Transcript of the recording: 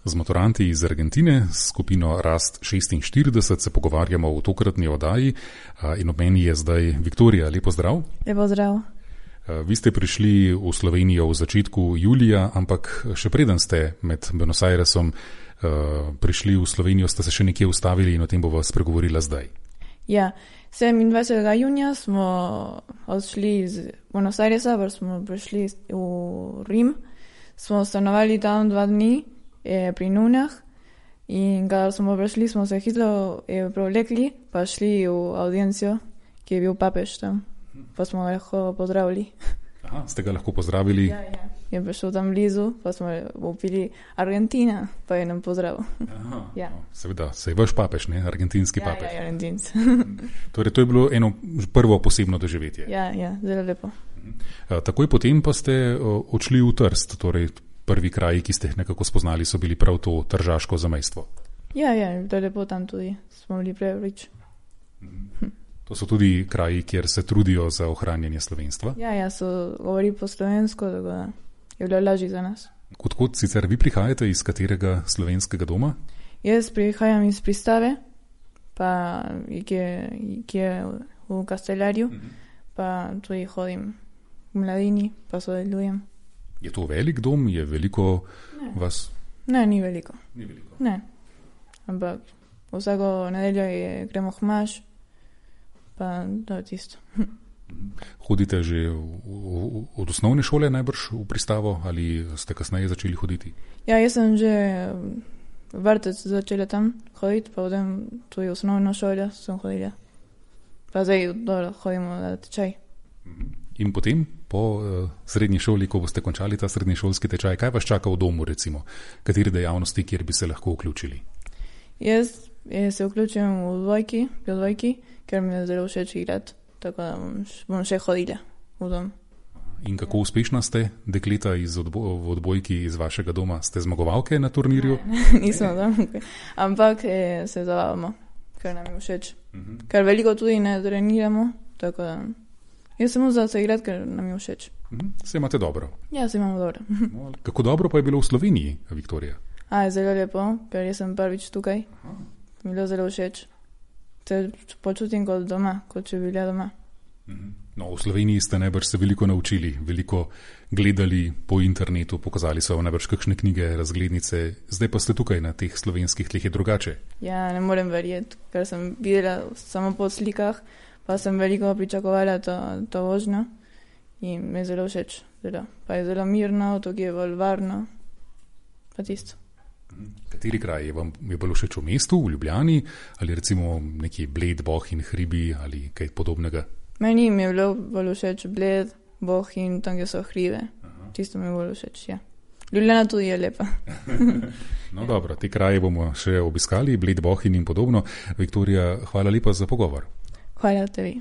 Z maturanti iz Argentine, s skupino Rast 46 se pogovarjamo v tokratni oddaji in ob meni je zdaj Viktorija. Lepo zdrav. Lepo zdrav. Vi ste prišli v Slovenijo v začetku julija, ampak še preden ste med Buenos Airesom prišli v Slovenijo, ste se še nekje ustavili in o tem bova spregovorila zdaj. Ja, 27. junija smo odšli iz Buenos Airesa, pa smo prišli v Rim. Smo stanovali tam 2 dni. Pri nunah in kada smo prišli, smo se hitro prevlekli, pa šli v audiencijo, ki je bil papež tam, pa smo ga lahko pozdravili. Aha, ste ga lahko pozdravili? Ja. Je prišel tam blizu, pa smo upili Argentina, pa je nam pozdravil. Aha, ja. No, seveda, se je vaš papež, ne? Argentinski papež. Ja, argentinc. Torej, to je bilo eno prvo posebno doživetje. Ja, zelo lepo. Takoj potem pa ste odšli v Trst, torej prvi kraji, ki ste jih nekako spoznali, so bili prav to tržaško zamejstvo. Ja, to je lepo tam tudi, smo bili prvič. To so tudi kraji, kjer se trudijo za ohranjanje slovenstva? Ja, so govori po slovensko, tako da je bilo lažje za nas. Odkot sicer vi prihajate, iz katerega slovenskega doma? Jaz prihajam iz Pristave, pa ki je v Kastelarju, pa tudi hodim v Mladini, pa sodelujem. Je to velik dom? Je veliko vas? Ne, ni veliko. Ni veliko. Ne, ampak vsako nedeljo gremo hmaš, pa to je tisto. Hodite že od osnovne šole najbrž v Pristavo ali ste kasneje začeli hoditi? Ja, jaz sem že vrtec začela tam hoditi, pa potem tudi osnovno šolo sem hodila. Pa zdaj hodimo na tečaj. In potem, po srednji šoli, ko boste končali ta srednješolski tečaj, kaj vas čaka v domu, recimo? Katere dejavnosti, kjer bi se lahko vključili? Jaz se vključujem v dvojki, ker mi je zelo všeč igrati, tako da bom še hodila v dom. In kako uspešna ste, dekleta v odbojki iz vašega doma? Ste zmagovalke na turnirju? Ne, nismo zmagovalke, ampak se zabavamo, ker nam je všeč. Ker veliko tudi ne treniramo, tako da jaz samo za se igrati, ker nam je všeč. Se imate dobro? Ja, se imamo dobro. Kako dobro pa je bilo v Sloveniji, Viktorija? Zelo lepo, ker jaz sem prvič tukaj. Mi je bilo zelo všeč. Se počutim kot doma, kot če bi bila doma. No, v Sloveniji ste najbrž se veliko naučili, veliko gledali po internetu, pokazali so vam najbrž kakšne knjige, razglednice, zdaj pa ste tukaj na teh slovenskih tleh, je drugače. Ja, ne morem verjeti, ker sem videla samo po slikah, pa sem veliko pričakovala to vožnjo in mi je zelo všeč. Pa je zelo mirno, to je bolj varno, pa tisto. Kateri kraj je vam bilo všeč v mestu, v Ljubljani, ali recimo neki Bled, Bohinj, hribi ali kaj podobnega? Meni mi je bilo bolj všeč Bled, Bohinj, tam, kjer so hribe. Tisto mi je bolj všeč, ja. Ljubljana tudi je lepa. No dobro, te kraje bomo še obiskali, Bled, Bohinj in podobno. Viktorija, hvala lepa za pogovor. Hvala tebi.